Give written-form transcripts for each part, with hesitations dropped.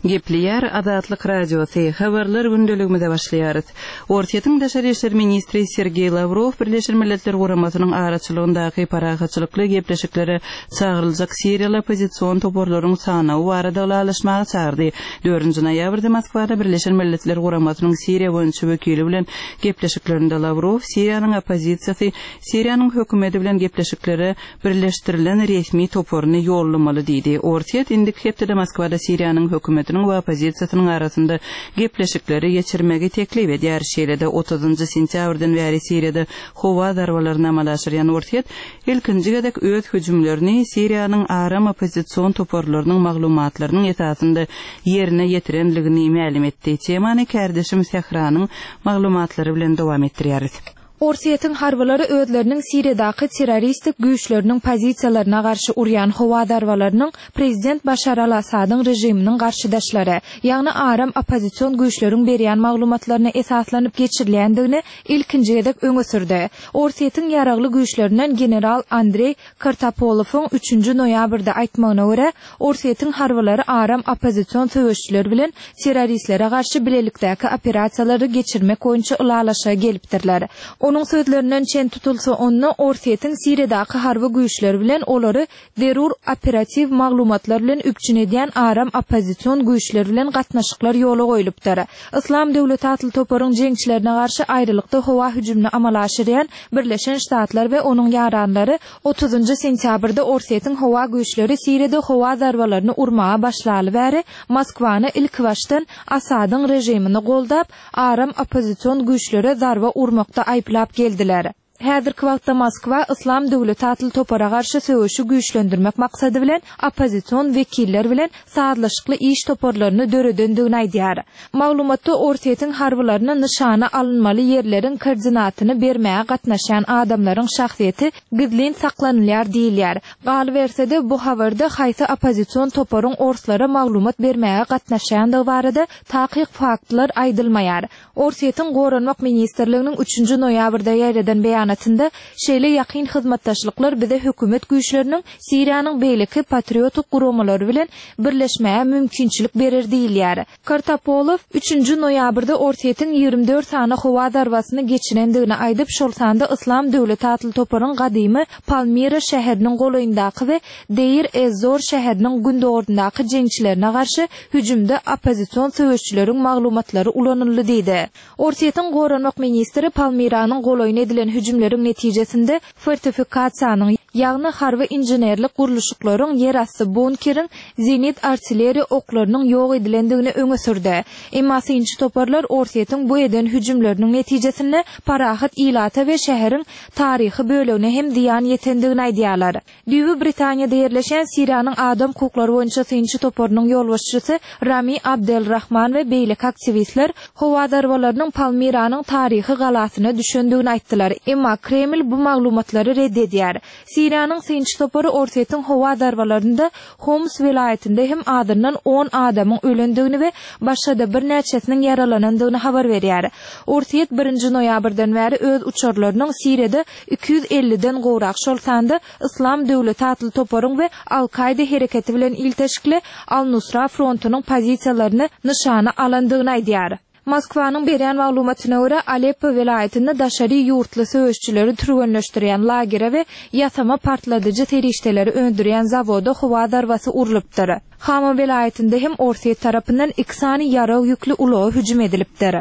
Gepleýär Azatlyk Radiosy, Habarlar gündeligimize başlaýarys. Orsýetiň daşary işler ministri Sergeý Lawrow Birleşen Milletler Guramasynyň araçylygyndaky parahatçylykly gepleşiklere çagyryljak siriýaly oppozision toparlaryň sanawy barada ylalaşmaga çagyrdy. Dördünji noýabrda Moskwada Birleşen Milletler Guramasynyň Siriýa boýunça wekili bilen gepleşiklerinde Lawrow Siriýanyň oppozisiýasy Siriýanyň hökümeti bilen gepleşiklere birleşdirilen resmi toparyny ýollamaly diýdi. Orsýet indiki hepdede Moskwada Siriýanyň hökümetiniň we oppozisiýasynyň arasynda gepleşikleri geçirmegi teklip edýär. Şeýle-de, otuzynjy sentýabrdan bäri Siriýada howa zarbalaryny amala aşyrýan Orsýet ilkinji gezek öz hüjümlerini Siriýanyň aram oppozision toparlarynyň maglumatlarynyň esasynda ýerine ýetirenligini mälim etdi. Temany kärdeşim Sähranyň maglumatlary bilen dowam etdirýäris. Orsýetiň harbylary özleriniň Siriýadaky terroristik güýçleriniň pozisiýalaryna garşy urýan howa zarbalarynyň prezident Başar al-Assadyň režiminiň garşydaşlary, ýagny aram oppozision güýçleriň berýän maglumatlaryna esaslanyp geçirilýändigini ilkinji gezek öňe sürdi. Orsýetiň ýaragly güýçlerinden general Andreý Kartapolowyň üçünji noýabrda aýtmagyna görä, Orsýetiň harbylary aram oppozision söweşijiler bilen terroristlere garşy bilelikdäki operasiýalary geçirmek boýunça ylalaşyga gelipdirler. Onuň sözlerinden çen tutulsa, onda Orsýetiň Siriýadaky harby güýçleri bilen olary zerur operatiw maglumatlar bilen üpjün edýän aram oppozision güýçler bilen gatnaşyklar ýola goýlupdyr. Yslam döwleti atly toparyň jeňçilerine garşy aýralykda howa hüjümini amala aşyrýan Birleşen Ştatlar we onuň ýaranlary otuzynjy sentýabrda Orsýetiň howa güýçleri Siriýada howa zarbalaryny urmaga başlaly bäri Moskwany ilkibaşdan Asadyň režimini goldap, aram oppozision güýçlere zarba urmakda aýyplap geldiler. Häzirki wagtda Moskwa Yslam döwleti atly topara garşy söweşi güýçlendirmek maksady bilen oppozision wekiller bilen sazlaşykly iş toparlaryny döredendigini aýdýar. Maglumatda Orsýetiň harbylaryna nyşana alynmaly ýerleriň koordinatyny bermäge gatnaşýan adamlaryň şahsyýeti gizlin saklanylýar diýilýär. Galyberse-de, bu habarda haýsy oppozision toparyň orslara maglumat bermäge gatnaşýandygy barada takyk faktlar aýdylmaýar. Orsýetiň Goranmak ministrliginiň üçünji noýabrda ýaýradan beýanatynda şeýle ýakyn hyzmatdaşlyklar bize hökümet güýçleriniň Siriýanyň beýleki patriotik guramalary bilen birleşmäge mümkinçilik berer diýilýär. Kartapolow üçünji noýabrda Orsýetiň 24 sany howa zarbasyny geçirendigini aýdyp, şol sanda Yslam döwleti atly toparyň gadymy Palmira şäheriniň golaýyndaky we Deir-ez-Zor şäheriniň gündogaryndaky jeňçilerine garşy hüjümde oppozision söweşçileriň maglumatlary ulanyldy diýdi. Orsýetiň goranmak ministri Palmiranyň golaýyna edilen hüjümleriň netijesinde fortifikasiýanyň, ýagny harby-inženerlik gurluşyklaryň, ýerasty bunkeriň, zenit artilleriýa oklarynyň ýok edilendigini öňe sürdi. Emma synçy toparlar Orsýetiň bu eden hüjümleriniň netijesinde parahat ilata we şäheriň taryhy bölegine hem zyýan ýetendigini aýdýarlar. Düýbi Britaniýada ýerleşýän Siriýanyň adam hukuklary boýunça synçy toparynyň ýolbaşçysy Rami Abdel Rahman we beýleki aktiwistler howa zarbalarynyň Palmiranyň taryhy galasyna düşendigini aýtdylar, emma Kreml bu maglumatlary red edýär. Siriýanyň synçy topary Orsýetiň howa zarbalarynda Homs welaýatynda hem azyndan on adamyň ölendigini we başga-da birnäçesiniň ýaralanandygyny habar berýär. Orsýet birinji noýabrdan bäri öz uçarlarynyň Siriýada 250-den gowrak, şol sanda Yslam döwleti atly toparyň we Al-Kaýda hereketi bilen ilteşikli Al-Nusra frontunyň pozisiýalaryny nyşana alandygyny aýdýar. Moskwanyň berýän maglumatyna görä, Aleppo welaýatynda daşary ýurtly söweşijileri türgenleşdirýän lagere we ýasama partladyjy serişdeleri öndürýän zawoda howa zarbasy urlupdyr. Hama welaýatynda hem Orsýet tarapyndan iki sany ýarag ýükli ulaga hüjüm edilipdir.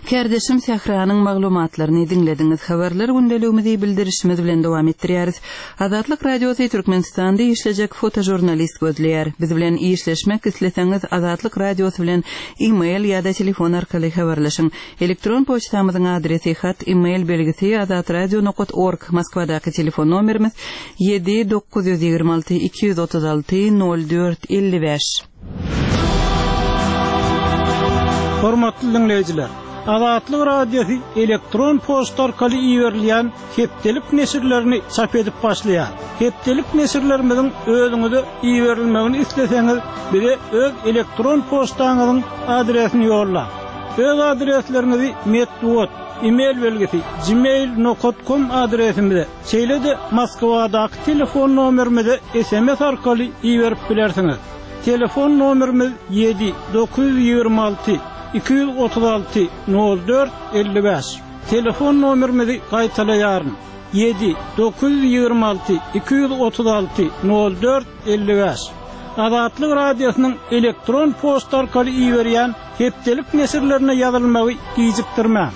Kärdeşim Sähranyň maglumatlaryny diňlediňiz. Habarlar gündeligimizi bildirişimiz bilen dowam etdirýäris. Azatlyk Radiosy Türkmenistanda işlejek fotožurnalist gözleýär. Biz bilen işleşmek isleseňiz Azatlyk Radiosy bilen e-mail ýa-da telefon arkaly habarlaşyň. Elektron poçtamyzyň adresi hat e-mail belgisi azatradio nokat org Moskwadaky telefon nomerimiz 7 926 236 04 55. Hormatly diňleýjiler! Azatlyk Radiosy elektron poçta arkaly iberilýän hepdelik neşirlerini çap edip başlaýar. Hepdelik neşirlerimiziň özüňize iberilmegini isleseňiz, bize öz elektron poçtaňyzyň adresini ýollaň. Öz adresleriňizi metbugat, e-mail belgisi, gmail nokat kom adresimize, şeýle-de Moskwadaky telefon nomerimize sms arkaly iberip bilersiňiz. Telefon nomerimiz ýedi, 926 236 04 55. Telefon nomerimizi gaýtalaýaryn, ýedi, 926 236 04 55. Azatlyk Radiosynyň elektron poçta arkaly iberýän hepdelik neşirlerine ýazylmagy gijikdirmäň.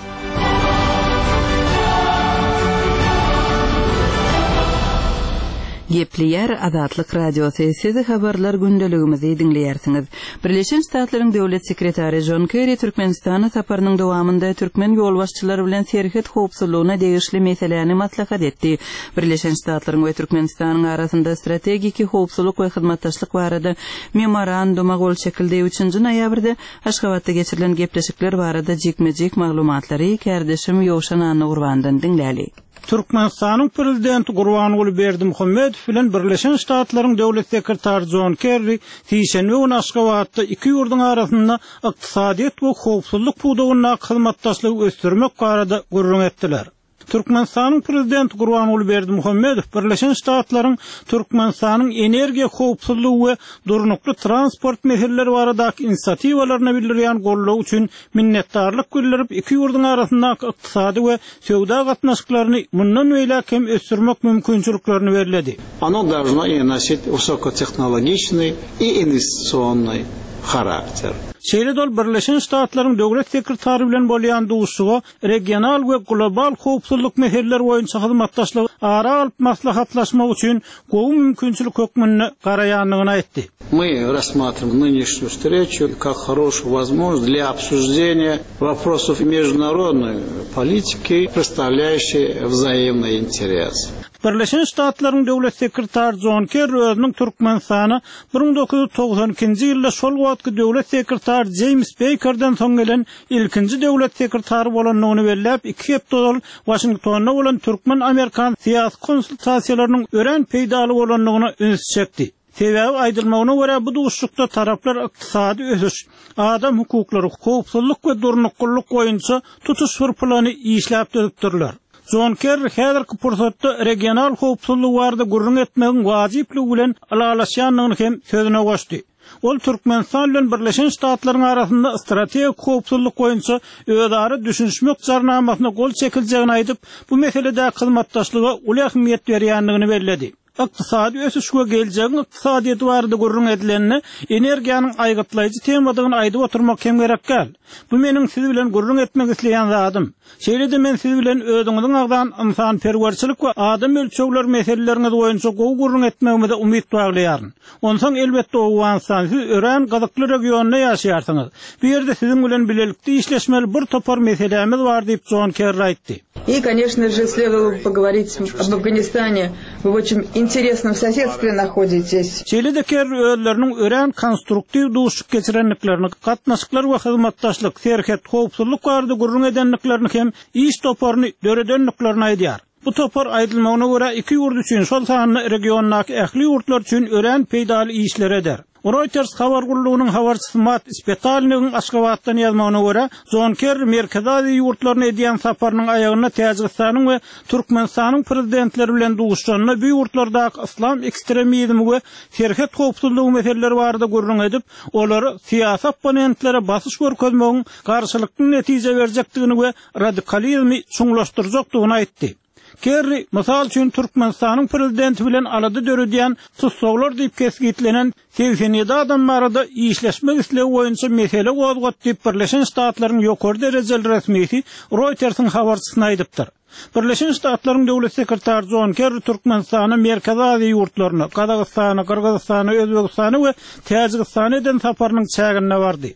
Gepleýär Azatlyk Radiosy, siz habarlar gündeligimizi diňleýärsiňiz. Birleşen Ştatlaryň Döwlet sekretary Jon Kerri Türkmenistana saparynyň dowamynda türkmen ýolbaşçylary bilen serhet howpsuzlygyna degişli meseläni maslahat etdi. Birleşen Ştatlaryň we Türkmenistanyň arasynda strategiki howpsuzlyk we hyzmatdaşlyk barada Memoranduma gol çekildi. Üçünji noýabrda Aşgabatda geçirilen gepleşikler barada jikme-jik maglumatlary kärdeşim Ýowşan Annagurbandan diňläli. Türkmenistanyň Prezidenti Gurbanguly Berdimuhamedow bilen Birleşen Ştatlaryň Döwlet sekretary Jon Kerri sişenbe güni Aşgabatda iki ýurduň arasynda ykdysadyýet we howpsuzlyk pudagyndaky hyzmatdaşlygy ösdürmek barada gürrüň etdiler. Türkmenistanyň Prezidenti Gurbanguly Berdimuhamedow Birleşen Ştatlaryň Türkmenistanyň energiýa howpsuzlygy we durnukly transport meseleleri baradaky inisiatiwalaryna bildirýän goldawy üçin minnetdarlyk bildirip, iki ýurduň arasyndaky ykdysady we söwda gatnaşyklaryny mundan beýläk hem ösdürmek mümkinçiliklerini belledi. Ono должно и носить wysokotehnologiçnyý i inwestisionnyý harakter. Şeýle-de ol Birleşen Ştatlaryň Döwlet sekretary bilen bolýan duşuşyga regional we global howpsuzlyk meseleleri boýunça hyzmatdaşlygy ara alyp maslahatlaşmak üçin gowy mümkinçilik hökmünde garaýandygyny aýtdy. Мы рассматриваем нынешнюю встречу как хорошую возможность для обсуждения вопросов международной политики, представляющей взаимный интерес. Birleşen Ştatlaryň Döwlet sekretary Jon Kerri özüniň Türkmenistana 1992-nji ýylda şol wagtky Döwlet sekretary Jeýms Beýkerden soň gelen ilkinji döwlet sekretary bolandygyny belläp, iki hepde ozal Waşingtonda bolan türkmen-amerikan syýasy konsultasiýalarynyň örän peýdaly bolandygyna ünsi çekdi. Sebäbi, aýdylmagyna görä, bu duşuşykda taraplar ykdysady ösüş, adam hukuklary, howpsuzlyk we durnuklylyk boýunça tutuş bir plany işläp düzüpdirler. Jon Kerri häzirki pursatda regional howpsuzlyk barada gürrüň etmegiň wajyplygy bilen ylalaşýandygyny hem sözüne goşdy. Ol Türkmenistan bilen Birleşen Ştatlaryň arasynda strategik howpsuzlyk boýunça özara düşünişmek jarnamasyna gol çekiljegini aýdyp, bu meseledäki hyzmatdaşlyga uly ähmiýet berýändigini belledi. Ykdysady ösüş we geljegiň ykdysadyýeti barada gürrüň edilende, energiýanyň aýgytlaýjy temadygyny aýdyp oturmak hem gerek däl. Bu meniň siz bilen gürrüň etmek isleýän zadym. Şeýle-de men siz bilen özüňiziň agzan ynsanperwerçilik we adam ölçegleri meseleleriňiz boýunça gowy gürrüň etmegimize umyt baglaýaryn. Onsoň, elbetde, Owganystan, siz örän gyzykly regionda ýaşaýarsyňyz. Bu ýerde siziň bilen bilelikde işleşmeli bir topar meselämiz bar diýip, Jon Kerri aýtdy. И, конечно же, следовало бы поговорить об Афганистане. Вы в очень интересном соседстве находитесь. Şeýle-de Kerri özleriniň örän konstruktiw duşuşyk geçirendiklerini, gatnaşyklar we hyzmatdaşlyk, serhet, howpsuzlyk barada gürrüň edendiklerini hem iş toparyny döredendiklerini aýdýar. Bu topar, aýdylmagyna görä, iki ýurt üçin, şol sanda regiondaky ähli ýurtlar üçin örän peýdaly işleri eder. Reuters habar gullugynyň habarçysy Matt Spetalnigiň Aşgabatdan ýazmagyna görä, Jon Kerri Merkezi Aziýa ýurtlaryna edýän saparynyň aýagynda Täjigistanyň we Türkmenistanyň prezidentleri bilen duşuşanda bu ýurtlardaky yslam ekstremizmi we serhet howpsuzlygy meseleleri barada gürrüň edip, olara syýasy opponentlere basyş görkezmegiň garşylykly netije berjekdigini we radikalizmi çuňlaşdyrjakdygyny aýtdy. Kerri, mysal üçin, Türkmenistanyň prezidenti bilen alada döredýän tussaglar diýip kesgitlenen 87 adam barada işleşmek islegi boýunça mesele gozgatdy diýip, Birleşen Ştatlaryň ýokary derejeli resmisi Reuters-iň habarçysyna aýdypdyr. Birleşen Ştatlaryň Döwlet sekretary Jon Kerri Türkmenistana, Merkezi Aziýa ýurtlaryna, Gazagystana, Gyrgyzystana, Özbegistana we Täjigistana eden saparynyň çäginde bardy.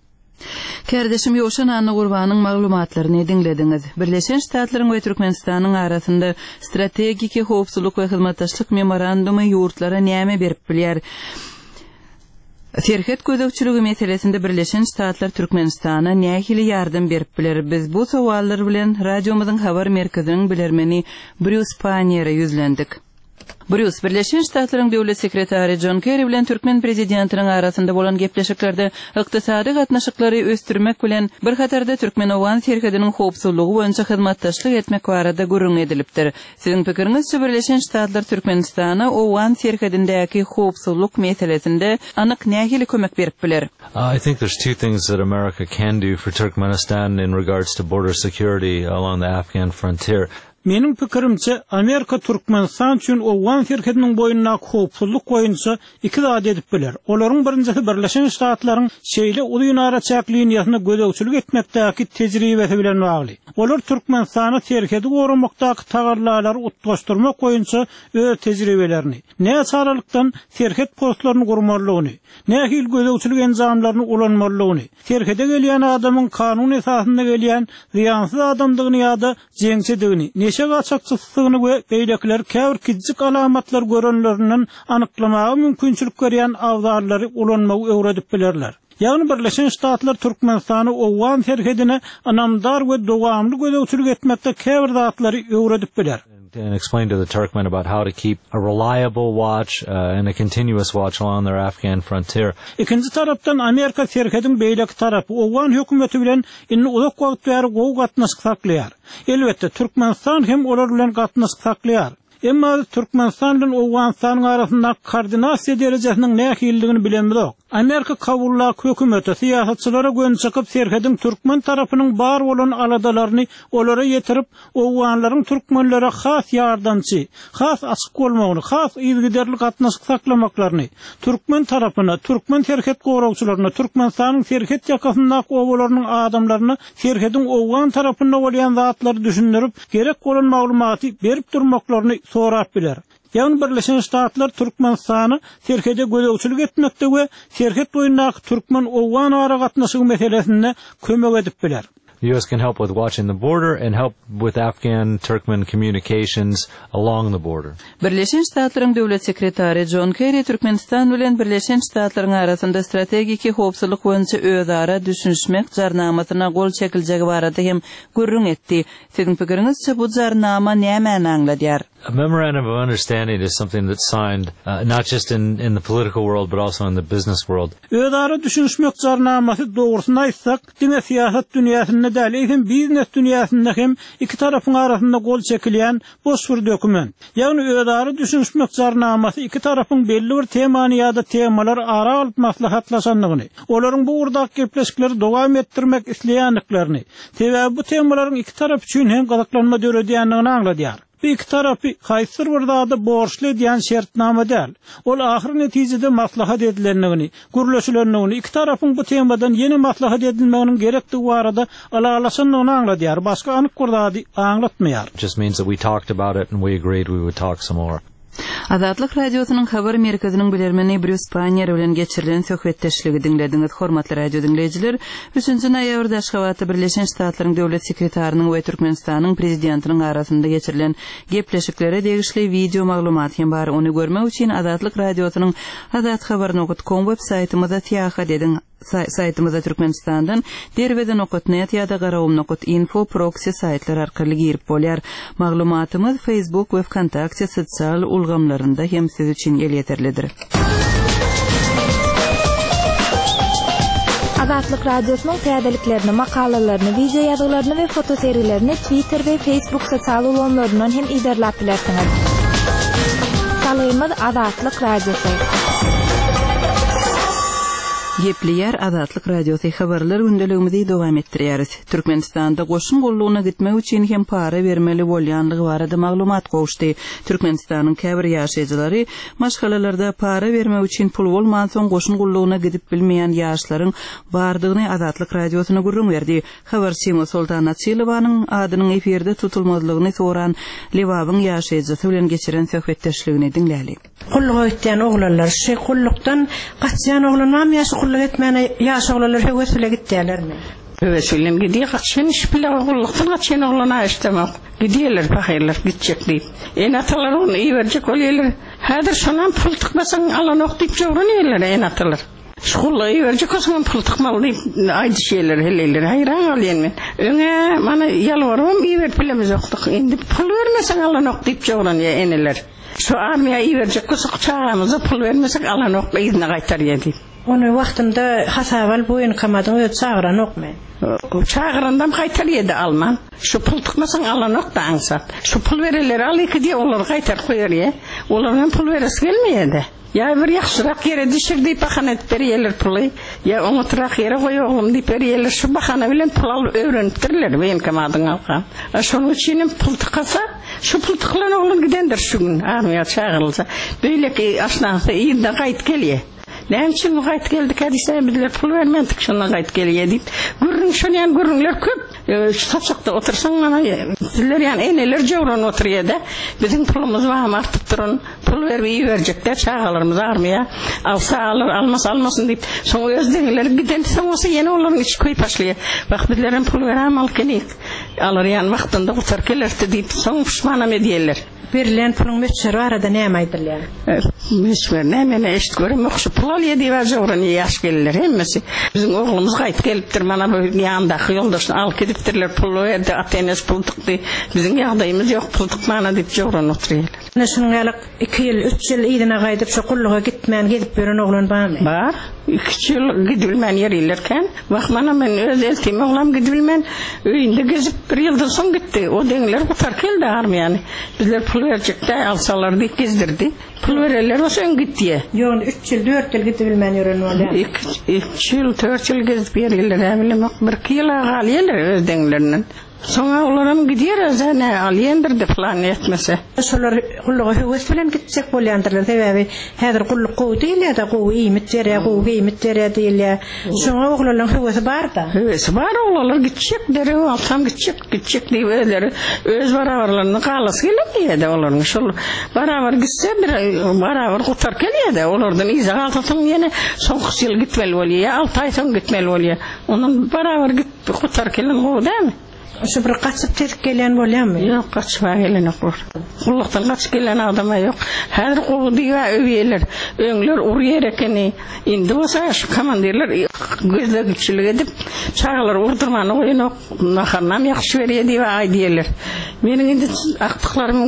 Kärdeşim Ýowşan Annagurbanyň maglumatlaryny diňlediňiz. Birleşen Ştatlaryň we Türkmenistanyň arasynda strategiki howpsuzlyk we hyzmatdaşlyk memorandumy ýurtlara näme berip bilýär? Serhet gözegçiligi meselesinde Birleşen Ştatlar Türkmenistana nähili ýardam berip biler? Biz bu sowallar bilen radiomyzyň habar merkeziniň bilermeni Brýus Panniýere ýüzlendik. Brýus, Birleşen Ştatlaryň Döwlet sekretary Jon Kerri bilen türkmen prezidentiniň arasynda bolan gepleşiklerde ykdysady gatnaşyklary ösdürmek bilen bir hatarda türkmen-owgan serhediniň howpsuzlygy boýunça hyzmatdaşlyk etmek barada gürrüň edilipdir. Siziň pikiriňizçe Birleşen Ştatlar Türkmenistana owgan serhedindäki howpsuzlyk meselesinde anyk nähili kömek berip biler? I think there's two things that America can do for Turkmenistan in regards to border security along the Afghan frontier. Meniň pikirimçe, Amerika Türkmenistan üçin owgan serhediniň boýundaky howpsuzlyk boýunça iki zady edip biler. Olaryň birinjisi Birleşen Ştatlaryň şeýle uzyn araçäk liniýasyna gözegçilik etmekdäki tejribesi bilen bagly. Olar Türkmenistana serhedi goramakdaky tagallalary utgaşdyrmak boýunça öz tejribelerini, näçe aralykdan serhet postlaryny gurmalydygyny, nähili gözegçilik enjamlaryny ulanmalydygyny, serhede gelýän adamyň kanun esasynda gelýän zyýansyz adamdygyny ýa-da jeňçidigini, neşe gaçakçysydygyny we beýlekileri käbir kiçijik alamatlar görenlerinden anyklamaga mümkinçilik berýän abzallary ulanmagy öwredip bilerler. Ýagny Birleşen Ştatlar Türkmenistana owgan serhedine ynamdar we dowamly gözegçilik etmekde käbir zatlary öwredip biler. And explain to the Turkmen about how to keep a reliable watch and a continuous watch along their Afghan frontier. Ikinji tarapdan Amerika serhediň beýleki tarapy owgan hökümeti bilen indi uzak wagt bäri gowy gatnaşyk saklaýar. Elbetde, Türkmenistan hem olar bilen gatnaşyk saklaýar. Emma biz Türkmenistan bilen Owganystanyň arasyndaky koordinasiýa derejesiniň nähilidigini bilemizok. Amerika Kabuldaky hökümete, syýasatçylara göni çykyp, serhediň türkmen tarapynyň bar bolan aladalaryny olara ýetirip, owganlaryň türkmenlere has ýardamçy, has açyk bolmagyny, has yzygiderli gatnaşyk saklamaklaryny, türkmen tarapyna, türkmen serhet goragçylaryna, Türkmenistanyň serhet ýakasyndaky obalarynyň adamlaryna serhediň owgan tarapynda bolýan zatlary düşündirip, gerek bolan maglumaty berip durmaklaryny sorap biler. Ýagny Birleşen Ştatlar Türkmenistana serhede gözegçilik etmekde we serhet boýundaky türkmen-owgan aragatnaşygy meselesinde kömek edip biler. The US can help with watching the border and help with Afghan-Turkmen communications along the border. Birleşen Ştatlaryň Döwlet sekretary Jon Kerri Türkmenistan bilen Birleşen Ştatlaryň arasynda strategiki howpsuzlyk boýunça özara düşünişmek jarnamasyna gol çekiljegi barada hem gürrüň etdi. Siziň pikiriňizçe bu jarnama nämäni aňladýar? A memorandum of understanding is something that's signed not just in in the political world but also in the business world. Özara düşünişmek jarnamasy dogrusyny aýtsak, diňe syýasat dünýäsinde däl, eýsem biznes dünýäsinde hem iki tarapyň arasynda gol çekilýän boş bir dokument. Ýagny özara düşünişmek jarnamasy iki tarapyň belli bir temany ýa-da temalary ara alyp maslahatlaşandygyny, olaryň bu ugurdaky gepleşikleri dowam etdirmek isleýändiklerini, sebäbi bu temalaryň iki tarap üçin hem gyzyklanma döredýändigini aňladýar. Bu iki tarapy haýsydyr bir zada borçly edýän şertnama däl. Ol ahyr netijede maslahat edilendigini, gürleşilendigini, iki tarapyň bu temadan ýene maslahat edilmeginiň gerekdigi barada ylalaşandygyny aňladýar, başga anyk bir zady aňlatmaýar. Just means that we talked about it and we agreed we would talk some more. Azatlyk Radiosynyň Habar merkeziniň bilermeni Brýus Panniýer bilen geçirilen söhbetdeşligi diňlediňiz. Hormatly radio diňleýjiler, üçünji noýabrda Aşgabatda Birleşen Ştatlaryň Döwlet sekretarynyň we Türkmenistanyň Prezidentiniň arasynda geçirilen gepleşiklere degişli wideo maglumat hem bar. Ony görmek üçin Azatlyk Radiosynyň azathabar nokat kom web saýtymyza syýahat ediň. Saýtymyza Türkmenistandan Derweze nokat net ýa-da Garagum nokat info proksi saýtlar arkaly girip bolýar. Maglumatymyz Facebook we Wkontakte sosial ulgamlarynda hem siz üçin elýeterlidir. Azatlyk Radiosynyň täzeliklerini, makalalaryny, wideo ýazgylaryny we fotosergilerini Twitter we Facebook sosial ulgamlaryndan hem yzarlap bilersiňiz. Salgymyz Azatlyk Radiosy. Gepleýär Azatlyk Radiosy Habarlar gündeligimizi dowam etdirýäris. Türkmenistanda goşun gullugyna gitmek üçin hem para bermeli bolýanlygy barada maglumat gowuşdy. Türkmenistanyň käbir ýaşaýjylary maşgalalarda para bermek üçin pul bolmansoň goşun gullugyna gidip bilmeýän ýaşlaryň bardygyny Azatlyk Radiosyna gürrüň berdi. Habarçymyz Soltan Açylowanyň adynyň efirde tutulmazlygyny soran Lebabyň ýaşaýjysy bilen geçiren söhbetdeşligini diňläli. Gulluga gitýän oglanlar, şy gullukdan gaçýan oglan barmy ýa şu gulluk etmäne ýaş oglanlar höwes bile gitýälermi? Höwes bilen gidýär, gaçýan iş bile gullukdan gaçýan oglan-a eşdemok. Gidýärler pahyrlar gitjek diýip. Ene-atalar ony iberjek bolýarlar. Häzir şonam pul tykmasaň alanok diýip jowranýarlar ene-atalar. Şu gulluga iberjek bolsaňam pul tykmaly diýip aýdyşýarlar heleýler. Haýran galýan men. Öň-ä mana ýalbarybam iberip bilemizokdyk. Indi pul bermeseň alanok diýip jowranýar eneler. Şu armiýa iberjek bolsak çagamyza pul bermesek alanok yzyna gaýtarýa diýip. Ony wagtynda hasaba alyp woýenkomadyň özi çagyranokmy? Çagyrandam gaýtarýa-da alman. Şu pul tykmasaň alanok-da aňsat. Şu pul berenleri al iki diýip olary gaýtaryp goýberýä. Olaryň hem pul beresi gelmeýä-de. Ýa bir ýagşyrak ýere düşür diýip bahana edip berýärler puly, ýa oňatrak ýere goý oglum diýip berýärler. Şu bahana bilen pul alyp öwrenipdirler woýenkomadyň halkam. A şonuň üçinem pul tykasa, şu pul tykylan oglan gidendir şu gün armiýa çagyrylsa. Beýleki aşnasy yzyna gaýdyp gelýär. Näme üçin bu gaýdyp geldikä diýse, bizler pul bermändik şondan gaýdyp gelýär diýip. Gürrüň şol ýaly gürrüňler köp. Şu saçakda otursaň mana sizler ýaly eneler jöwran oturýar-da. Biziň pulumyz barmy artyp duran. Pul berip iberjekdä çagalarymyz armiýa alsa alar almasa almasyn diýip soň öz deňleri giden soň bolsa ýene olaryň içi köýüp başlaýar. Wah bizlerem pul beräm alyp geliň alar ýaly wagtynda gutar gelerdi diýip soň puşmanam edýärler. Berilýän puluň möçberi barada näme aýdylýar? Möçberi näme men eşidip göremok şu pul alýar diýip ajogran ýaş gelinler hemmesi. Biziň oglumyz gaýtyp gelipdir mana bu ýanyndaky ýoldaşyny alyp gidipdirler pul berdi ata enesi pul dykdy biziň ýagdaýymyz ýok pul dykmana diýip jogran oturýarlar. Ine şunuň ýaly iki ýyl, üç ýyl yzyna gaýdyp şo gulluga gitmän gezip ýören oglan barmy? Bar. Iki-üç ýyl gidibilmän ýörirler kän. Wah, mana men öz eltim oglam gidibilmän öýünde gezip bir ýyldan soň gitdi. O deňler gutar keldi armiýany. Bizler pul berjek däl, alsalar diýip gezdirdi. Pul berenler bolsa öň gitýä. Ýok, indi üç ýyl, dört ýyl gidibilmän ýören bolýar. Iki, üç ýyl, dört ýyl gezip ýörirler, bilemok. Birki ýyl-a galýarlar öz deňlerinden. Soňa olaram gidýär özä nä alýandyr-da plan etmese. Şolar gulluga höwes bilen gitjek bolýandyrlar sebäbi häzir gulluk gowy diýilýär-de gowy iýmit berýär gowy geýmit berýär diýilýär. Şoňa oglanlaň höwesi bar-da. Höwesi bar oglanlar gitjek derew alsam gitjek gitjek diýip özleri öz barabarlaryndan galasy gelenmeýär-de olaryň şol barabar gitse bir barabar gutaryp gelýär-de olardan yza galsa soň ýene soňkusy ýyl gitmeli bolýar ýa alty aý soň gitmeli bolýar ondan barabar git Gutar kelen gowy dälmi? Şu bir gaçyp tezip gelýän bolýamy? Ýok, gaçyp-a gelenok olar. Gullukdan gaçyp gelen adam-a ýok. Häzir gowy diýip-ä öwýärler. Öňler urýar ekeni. Indi bolsa şu komandirler gözlegçilik edip, çagalary urdurmany goýanok, naharynam ýagşy berýär diýip-ä aýdýarlar. Meniň indi agtyklarym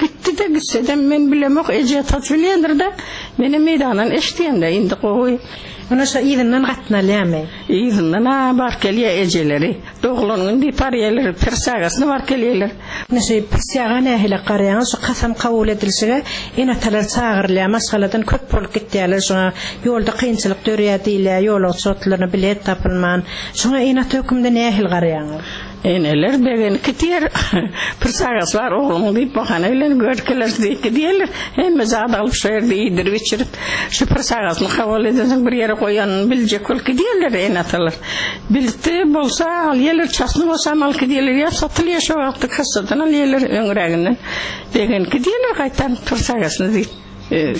gitdi-de, gitsedem men bilemok, eje-atasy bilýändir-de. Menem meýdandan eşidýän-de, indi gowy. Ýöne şo yzyndan gatnalýamy? Yzyndan-a baryp gelýär ejeleri. Doglan gün diýip barýarlar, pirsagasyna baryp gelýärler. Ine şu prisýaga nähili garaýaňyz? Şu kasam kabul edilişige ene-atalar çagyrylýar, maşgaladan köp bolup gitýärler şoňa. Ýolda kynçylyk dörýär diýilýär, ýolagçy otlylaryna bilet tapylman. Şoňa ene-ata hökmünde nähili garaýaňyz? Eneler begenip gidýär. Pirsagasy bar oglumyň diýip bahana bilen görkeler diýip gidýärler. Hemme zat alyp şo ýerde iýdirip içirip, şu pirsagasyny kabul edensoň bir ýere goýanyny biljek bolup gidýärler ene-atalar. Bildi bolsa alýarlar, çasny bolsam alyp gidýärler ýa satylýar şo wagtda kassadan alýarlar öňräginden. Begenip gidýärler gaýtam pirsagasyny diýip.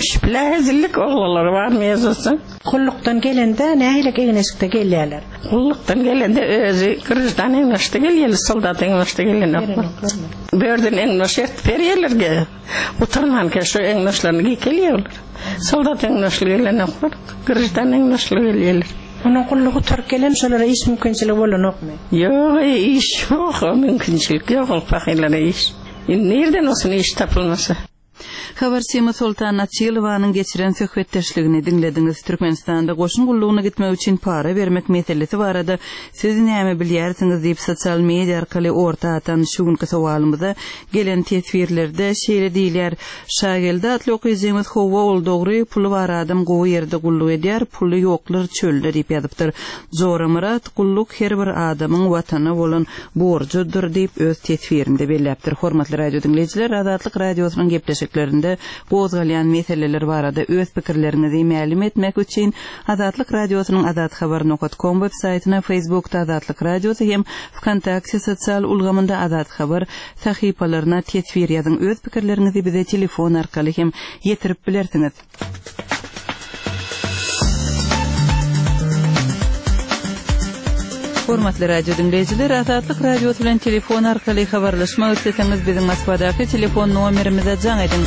Şübhä hezillik oglanlary barmy ýazylsa? Gullukdan gelende nähili egin-eşikde gelýärler? Gullukdan gelende özi graždan egin-eşikde gelýärler, soldat egin-eşikde gelenoklar. Bu ýerden egin-eşik eltip berýärler, gutarmanka şu egin-eşiklerini geýip gelýärler. Soldat egin-eşikli gelenoklar, graždan egin-eşikli gelýärler. Onuň gullugy gutaryp gelen şolara iş mümkinçiligi bolanokmy? Ýok, iş ýok, mümkinçilik ýok ol pahyrlara iş. Indi nirden bolsun iş tapylmasa. Habarçymyz Soltan Açylowanyň geçiren söhbetdeşligini diňlediňiz. Türkmenistanda goşun gullugyna gitmek üçin para bermek meselesi barada siz näme bilýärsiňiz diýip sosial media arkaly orta atan şu günki sowalymyza gelen teswirlerde şeýle diýilýär, Şageldi atly okyjymyz Howwa ol dogry, puly bar adam gowy ýerde gulluk edýär, puly ýoklar çölde diýip ýazypdyr. Joramyrat Gulluk her bir adamyň watana bolan borjudyr diýip, öz teswirinde belläpdir. Hormatly radio diňleýjiler, Azatlyk Radiosynyň gepleşiklerinde gozgalýan meseleler barada öz pikirleriňizi mälim etmek üçin Azatlyk Radiosynyň azathabar nokat kom web saýtyna, Facebookda Azatlyk Radiosy hem Wkontakte sosial ulgamynda Azathabar sahypalaryna teswir ýazyň. Öz pikirleriňizi bize telefon arkaly hem ýetirip bilersiňiz. Hormatly radio diňleýjiler, Azatlyk Radiosy bilen telefon arkaly habarlaşmak isleseňiz, biziň Moskwadaky telefon nomerimize jaň ediň.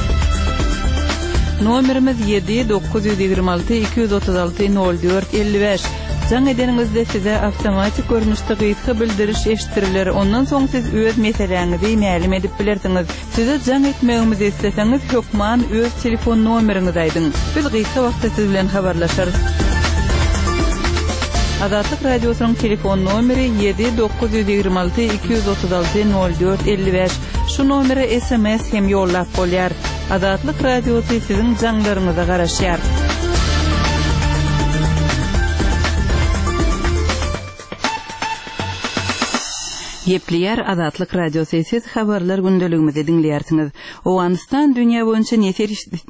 Nomerimiz 7 926 236 04 55. Jaň edeniňizde size awtomatik görnüşde gysga bildiriş eşitdiriler, ondan soň siz öz meseläňizi mälim edip bilersiňiz. Size jaň etmegimizi isleseňiz, hökman öz telefon nomeriňizi aýdyň. Biz gysga wagtda siz bilen habarlaşarys. Azatlyk Radiosynyň telefon nomeri ýedi 926 236 04 55. Şu nomere sms hem ýollap bolýar. Azatlyk Radiosy siziň jaňlaryňyza garaşýar. Gepleýär Azatlyk Radiosy, siz habarlar gündeligimizi diňleýärsiňiz. Owganystan dünýä boýunça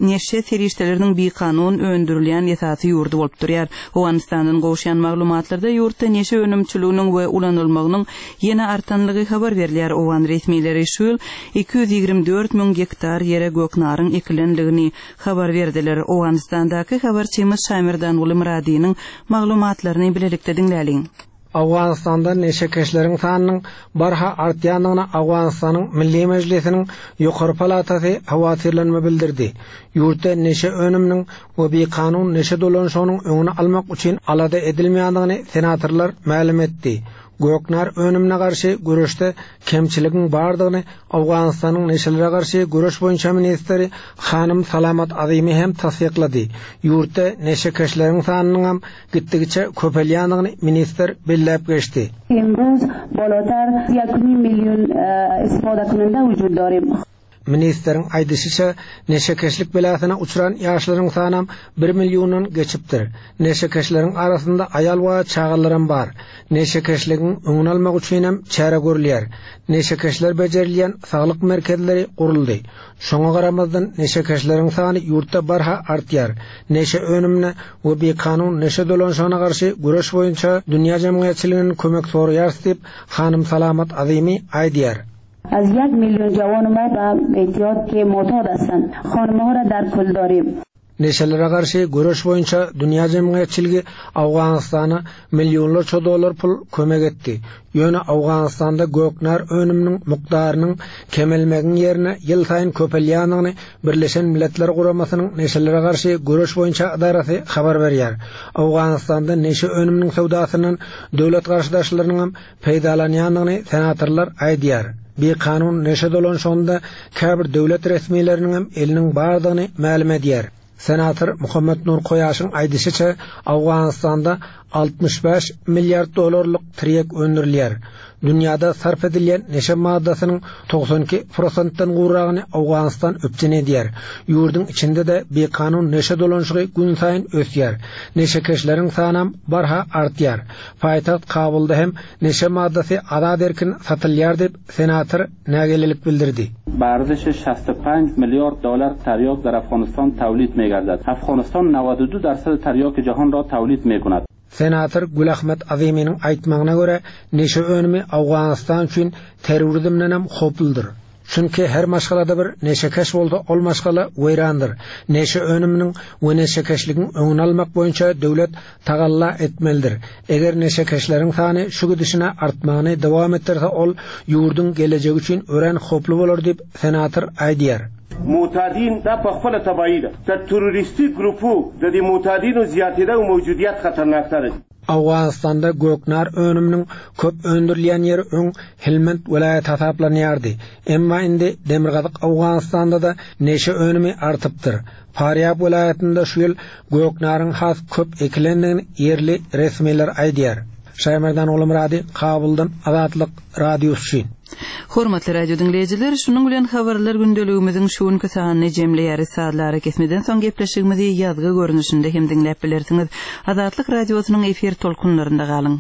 neşe serişdeleriniň bikanun öndürilýän esasy ýurdy bolup durýar. Owganystandan gowuşýan maglumatlarda ýurtda neşe önümçiliginiň we ulanylmagynyň ýene artanlygy habar berilýär. Owgan resmileri şu ýyl 224 müň gektar ýere göknaryň ekilendigini habar berdiler. Owganystandaky habarçymyz Şaýmerdanguly Myradynyň maglumatlaryny bilelikde diňläliň. Owganystanda neşekeşleriň sanynyň barha artýandygyna Owganystanyň Milli Mejlisiniň ýokary palatasy howatyrlanma bildirdi. Ýurtda neşe önüminiň we bikanun neşe dolanyşygynyň öňüni almak üçin alada edilmeýändigini senatorlar mälim etdi. Göknar önümine garşy göreşde kemçiligiň bardygyny Owganystanyň neşelere garşy göreş boýunça ministri hanym Salamat Azimi hem tassyklady. Ýurtda neşekeşleriň sanynyňam gitdigiçe köpelýändigini ministr belläp geçdi. Imruz bolotar ýak nim milýun istifodakunanda wujud dorim. Ministriň aýdyşyça, neşekeşlik belasyna uçran ýaşlaryň sanam bir milliondan geçipdir. Neşekeşleriň arasynda aýal we çagalaram bar. Neşekeşligiň öňüni almak üçinem çäre görülýär. Neşekeşler bejerilýän saglyk merkezleri guruldy. Şoňa garamazdan, neşekeşleriň sany ýurtda barha artýar. Neşe önümine we bikanun neşe dolanyşygyna garşy göreş boýunça dünýä jemgyýetçiliginden kömek soraýarys diýip, hanym Salamat Azimi aýdýar. Az ýek milýon jawan ma ba e'tiýod ke motad astand, honma ra dar kul dorim. Neşelere garşy göreş boýunça dünýä jemgyýetçiligi Owganystana millionlarça dollar pul kömek etdi. Ýöne Owganystanda göknar önüminiň mukdarynyň kemelmegiň ýerine ýylsaýyn köpelýändigini Birleşen Milletler Guramasynyň neşelere garşy göreş boýunça ydarasy habar berýär. Owganystanda neşe önüminiň söwdasyndan döwlet garşydaşlarynyňam peýdalanýandygyny senatorlar aýdýar. Bikanun neşe dolanyşygynda käbir döwlet resmileriniňem eliniň bardygyny mälim edýär. Senator Muhammet Nur Koýaşyň aýdyşyça, Owganystanda 65 milliard dollarlyk tirýek öndürilýär. Dünýäde sarp edilýän neşe maddasynyň 92 prosentden gowragyny Owganystan üpjün edýär. Ýurduň içinde-de bikanun neşe dolanyşygy günsaýyn ösýär. Neşekeşleriň sanam barha artýar. Paýtagt Kabulda hem neşe maddasy azat-erkin satylýar diýip, senator nägilelik bildirdi. Ba arziş şast-u panj milliard dollar tarýok dar Afghanistan tawlid megardad. Afghanistan nawad-u du darsad tarýok jahon ra tawlid mekunad. Senator Gül Ahmet Aziminiň aýtmagyna görä, neşe önümi Owganystan üçin terrorizmdenem howpludyr. Çünki her maşgalada bir neşekeş bolsa ol maşgala weýrandyr. Neşe önüminiň we neşekeşligiň öňüni almak boýunça döwlet tagalla etmelidir. Eger neşekeşleriň sany şu gidişine artmagyny dowam etdirse ol ýurduň gelejegi üçin örän howply bolar diýip senator aýdýar. معتادین دا په خپله تباهي ده، تر تروریستي ګروپو د دې معتادینو زیاتېدا او موجودیت خطرناکتره دي. Owganystanda göknar önüminiň köp öndürilýän ýeri öň Helmand welaýaty hasaplanýardy. Emma indi Demirgazyk Owganystanda-da neşe önümi artypdyr. Farýab welaýatynda şu ýyl göknaryň has köp ekilendigini ýerli resmiler aýdýar. Şaýmerdan Ogulmyrady, Kabuldan Azatlyk Radiosy üçin. Hormatly radio diňleýjiler, şunuň bilen habarlar gündeligimiziň şu günki sanyny jemleýäris. Sazly arakesmeden soň gepleşigimizi ýazgy görnüşinde hem diňläp bilersiňiz. Azatlyk Radiosynyň efir tolkunlarynda galyň.